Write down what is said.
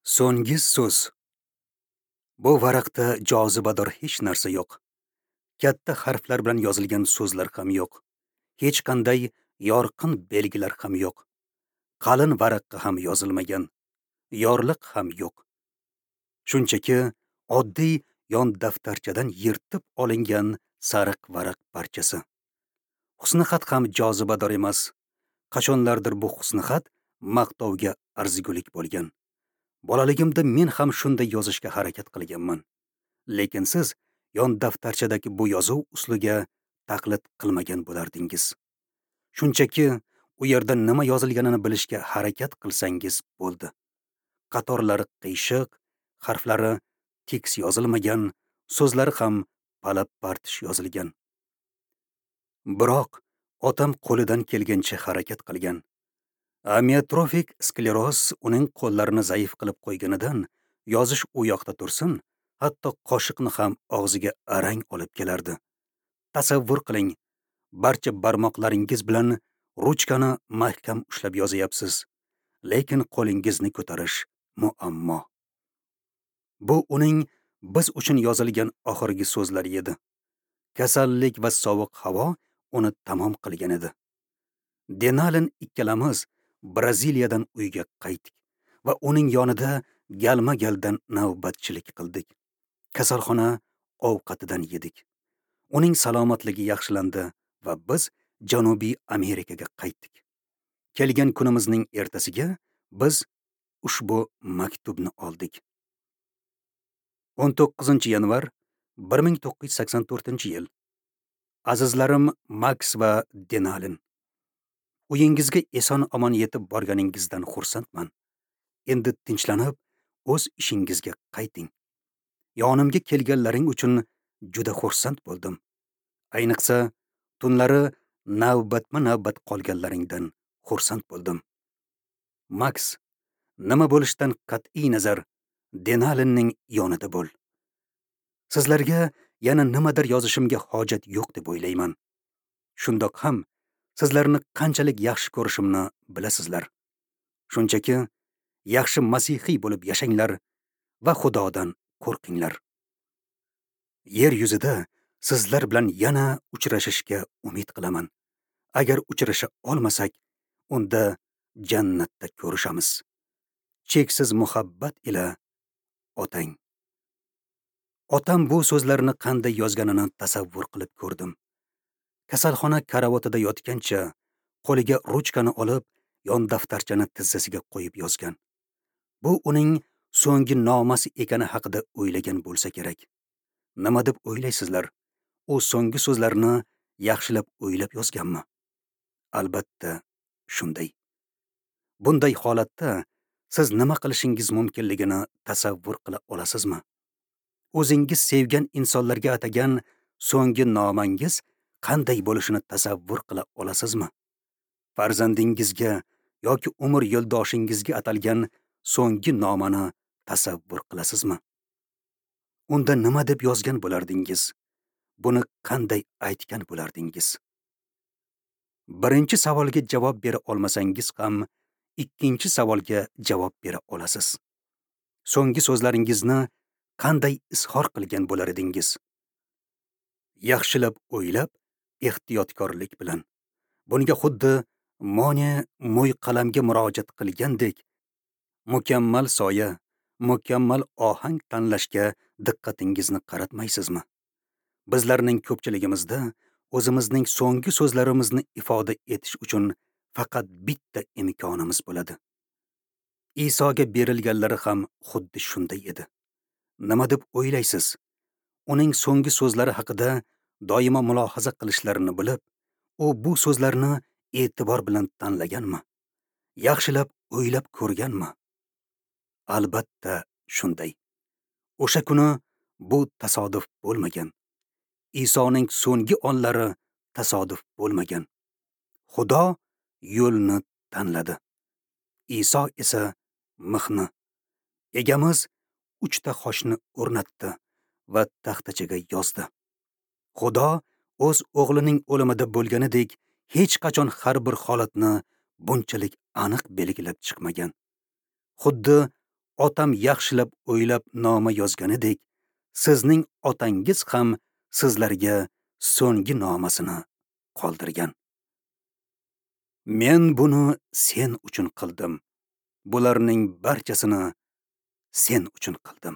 So'nggi so'z. Bu varaqda jozibador hech narsa yo'q. Katta harflar bilan yozilgan so'zlar ham yo'q. Hech qanday yorqin belgilar ham yo'q. Qalin varaqqa ham yozilmagan. Yorliq ham yo'q. Shunchaki oddiy yon daftarchadan yirtib olingan sariq varaq parchasi. Husnixat ham jozibador emas. Qachonlardir bu husnixat maqtovga arzigulik bo'lgan. Bolaligimda men ham shunday yozishga harakat qilganman. Lekin siz yon daftarchadagi bu yozuv uslubiga taqlid qilmagan bo'lardingiz. Shunchaki u yerda nima yozilganini bilishga harakat qilsangiz bo'ldi. Qatorlari qiyshiq, harflari tekis yozilmagan, so'zlari ham palab-partish yozilgan. Biroq otam qo'lidan kelgancha harakat qilgan. Amiotrofik skleroz uning qo'llarini zaif qilib qo'yganidan yozish u yoqda tursin, hatto qoshiqni ham og'ziga arang olib kelardi. Tasavvur qiling, barcha barmoqlaringiz bilan ruchkani mahkam ushlab yozyapsiz, lekin qo'lingizni ko'tarish muammo. Bu uning biz uchun yozilgan oxirgi so'zlari edi. Kasallik va sovuq havo uni tamom qilgan edi. Denalin ikkalamiz Braziliyadan uyga qaytdik va uning yonida galma-galdan navbatchilik qildik. Kasalxona ovqatidan yedik. Uning salomatligi yaxshilandi va biz Janubiy Amerikaga qaytdik. Kelgan kunimizning ertasiga biz ushbu maktubni oldik. 19 yanvar 1984-yil. Azizlarim Max va Denalin, uyingizga eson-omon yetib borganingizdan xursandman. Endi tinchlanib, o'z ishingizga qayting. Yonimga kelganlaring uchun juda xursand bo'ldim. Ayniqsa, tunlari navbatma-navbat qolganlaringdan xursand bo'ldim. Max, nima bo'lishidan qat'iy nazar Denalinning yonida bo'l. Sizlarga yana nimadir yozishimga hojat yo'q deb o'ylayman. Shundoq ham sizlarni qanchalik yaxshi ko'rishimni bilasizlar. Shunchaki yaxshi masihiy bo'lib yashanglar va Xudodan qo'rqinglar. Yer yuzida sizlar bilan yana uchrashishga umid qilaman. Agar uchrasha olmasak, unda jannatda ko'rishamiz. Cheksiz muhabbat ila otang. Otam bu so'zlarni qanday yozganini tasavvur qilib ko'rdim. Kasalxona karavotida yotgancha qo'liga ruchkani olib, yon daftarchani tizzasiga qo'yib yozgan. Bu uning so'nggi nomasi ekani haqida o'ylagan bo'lsa kerak. Nima deb o'ylaysizlar? U so'nggi so'zlarni yaxshilab o'ylab yozganmi? Albatta, shunday. Bunday holatda siz nima qilishingiz mumkinligini tasavvur qila olasizmi? O'zingiz sevgan insonlarga atagan so'nggi nomangiz qanday bo'lishini tasavvur qila olasizmi? Farzandingizga yoki umr yo'ldoshingizga atalgan so'nggi nomani tasavvur qilasizmi? Unda nima deb yozgan bo'lardingiz? Buni qanday aytgan bo'lardingiz? Birinchi savolga javob bera olmasangiz ham, ikkinchi savolga javob bera olasiz. So'nggi so'zlaringizni qanday izhor qilgan bo'lar edingiz? Yaxshilab o'ylab, ehtiyotkorlik bilan. Bunga xuddi Mone mo'y qalamga murojaat qilgandek, mukammal soya, mukammal ohang tanlashga diqqatingizni qaratmaysizmi? Bizlarning ko'pchiligimizda o'zimizning so'nggi so'zlarimizni ifoda etish uchun faqat bitta imkonimiz bo'ladi. Isoga berilganlari ham xuddi shunday edi. Nima deb o'ylaysiz? Uning so'nggi so'zlari haqida doimo mulohaza qilishlarini bilib, u bu so'zlarni e'tibor bilan tanlaganmi? Yaxshilab o'ylab ko'rganmi? Albatta shunday. O'sha kuni bu tasodif bo'lmagan. Isoning so'nggi onlari tasodif bo'lmagan. Xudo yo'lni tanladi. Iso esa mixni. Egamiz 3 ta xochni o'rnatdi va taxtachaga yozdi. Xudo o'z o'g'lining o'limida bo'lganidek hech qachon har bir holatni bunchalik aniq belgilab chiqmagan. Xuddi Otam yaxshilab o'ylab noma yozganidek, sizning otangiz ham sizlarga so'nggi nomasini qoldirgan. Men buni sen uchun qildim. Bularning barchasini sen uchun qildim.